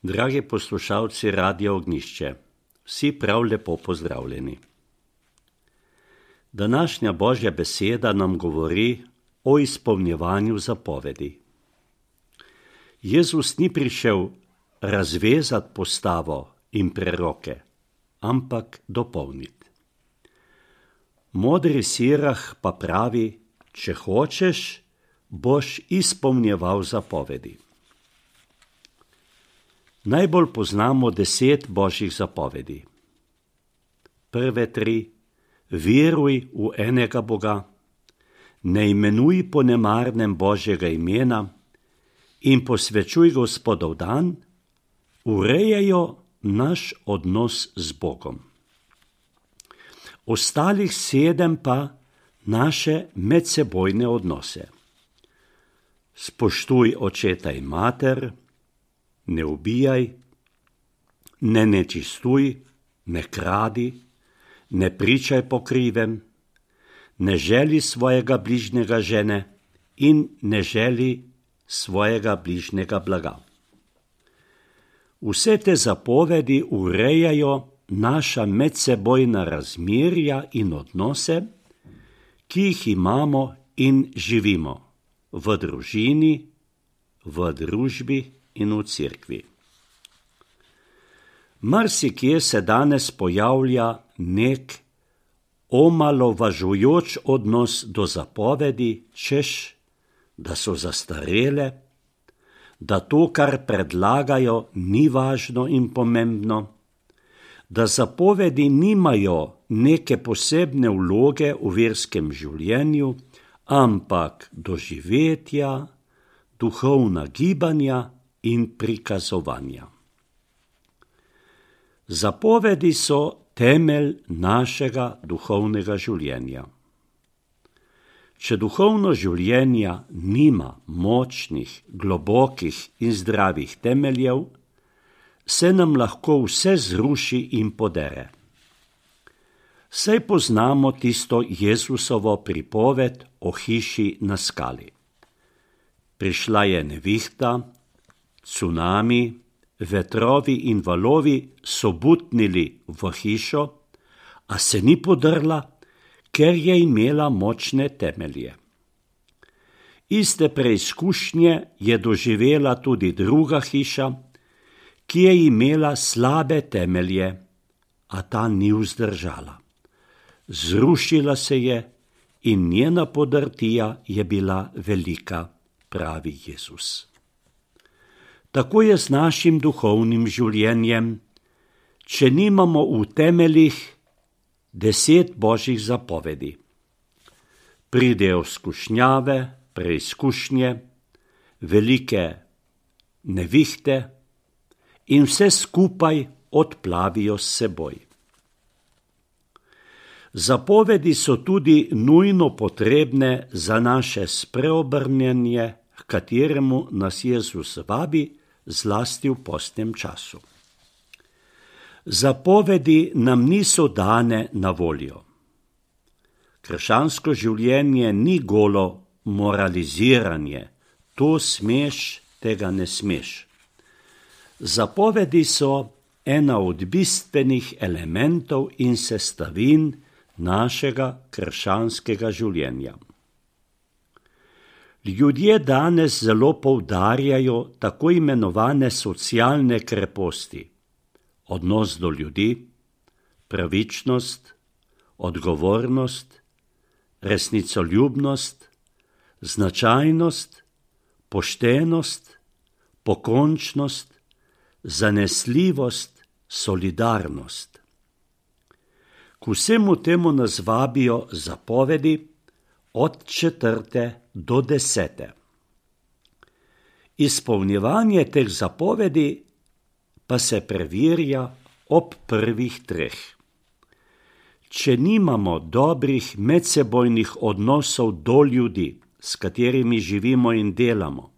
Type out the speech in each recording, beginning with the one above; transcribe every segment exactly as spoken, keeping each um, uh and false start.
Dragi poslušalci Radia Ognjišče, vsi prav lepo pozdravljeni. Današnja Božja beseda nam govori o izpolnjevanju zapovedi. Jezus ni prišel razvezati postavo in preroke, ampak dopolniti. Modri Sirah pa pravi, če hočeš, boš izpolnjeval zapovedi. Najbolj poznamo deset Božjih zapovedi. Prve tri, veruj v enega Boga, ne imenuj po nemarnem Božjega imena in posvečuj Gospodov dan, urejajo naš odnos z Bogom. Ostalih sedem pa naše medsebojne odnose. Spoštuj očeta in mater, ne ubijaj, ne nečistuj, ne kradi, ne pričaj po krivem, ne želi svojega bližnjega žene in ne želi svojega bližnjega blaga. Vse te zapovedi urejajo naša medsebojna razmerja in odnose, ki jih imamo in živimo v družini, v družbi in v cerkvi. Marsikje se danes pojavlja nek omalovažujoč odnos do zapovedi, češ, da so zastarele, da to, kar predlagajo, ni važno in pomembno, da zapovedi nimajo neke posebne vloge v verskem življenju, ampak doživetja, duhovna gibanja in prikazovanja. Zapovedi so temelj našega duhovnega življenja. Če duhovno življenje nima močnih, globokih in zdravih temeljev, se nam lahko vse zruši in podere. Saj poznamo tisto Jezusovo pripoved o hiši na skali. Prišla je nevihta, cunami, vetrovi in valovi so butnili v hišo, a se ni podrla, ker je imela močne temelje. Iste preizkušnje je doživela tudi druga hiša, ki je imela slabe temelje, a ta ni vzdržala. Zrušila se je in njena podrtija je bila velika, pravi Jezus. Tako je z našim duhovnim življenjem, če nimamo v temeljih deset Božjih zapovedi. Pridejo skušnjave, preizkušnje, velike nevihte in vse skupaj odplavijo s seboj. Zapovedi so tudi nujno potrebne za naše spreobrnjenje, k kateremu nas Jezus vabi, zlasti v postnem času. Zapovedi nam niso dane na voljo. Krščansko življenje ni golo moraliziranje, to smeš, tega ne smeš. Zapovedi so ena od bistvenih elementov in sestavin našega krščanskega življenja. Ljudje danes zelo poudarjajo tako imenovane socialne kreposti, odnos do ljudi, pravičnost, odgovornost, resnicoljubnost, značajnost, poštenost, pokončnost, zanesljivost, solidarnost. K vsemu temu nas vabijo zapovedi od četrte do desete. Izpolnjevanje teh zapovedi pa se preverja ob prvih treh. Če nimamo dobrih medsebojnih odnosov do ljudi, s katerimi živimo in delamo,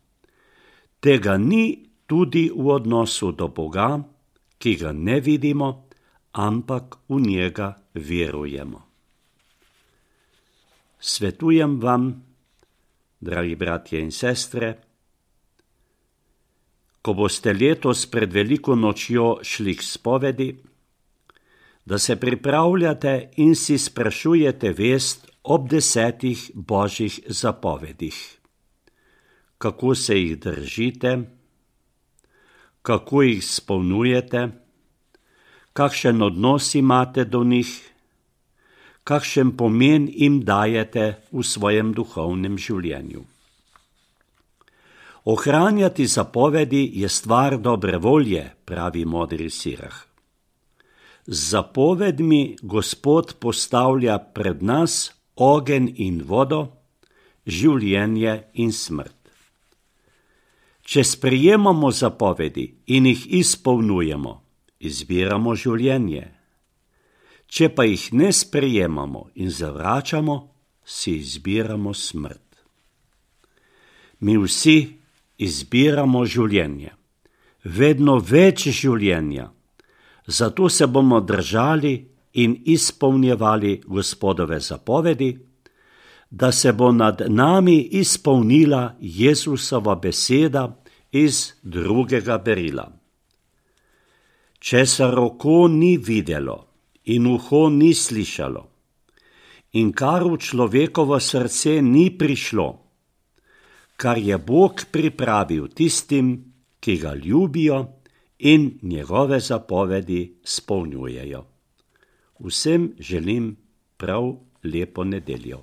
tega ni tudi v odnosu do Boga, ki ga ne vidimo, ampak v njega verujemo. Svetujem vam, dragi bratje in sestre, ko boste letos pred veliko nočjo šli k spovedi, da se pripravljate in si sprašujete vest ob desetih božjih zapovedih. Kako se jih držite, kako jih izpolnjujete, kakšen odnos imate do njih, kakšen pomen jim dajete v svojem duhovnem življenju. Ohranjati zapovedi je stvar dobre volje, pravi modri Sirah. Z zapovedmi Gospod postavlja pred nas ogenj in vodo, življenje in smrt. Če sprejemamo zapovedi in jih izpolnjujemo, izbiramo življenje. Če pa jih ne sprejemamo in zavračamo, si izbiramo smrt. Mi vsi izbiramo življenje, vedno več življenja, zato se bomo držali in izpolnjevali Gospodove zapovedi, da se bo nad nami izpolnila Jezusova beseda iz drugega berila. Česar oko ni videlo in uho ni slišalo, in kar v človekovo srce ni prišlo, kar je Bog pripravil tistim, ki ga ljubijo in njegove zapovedi spolnjujejo. Vsem želim prav lepo nedeljo.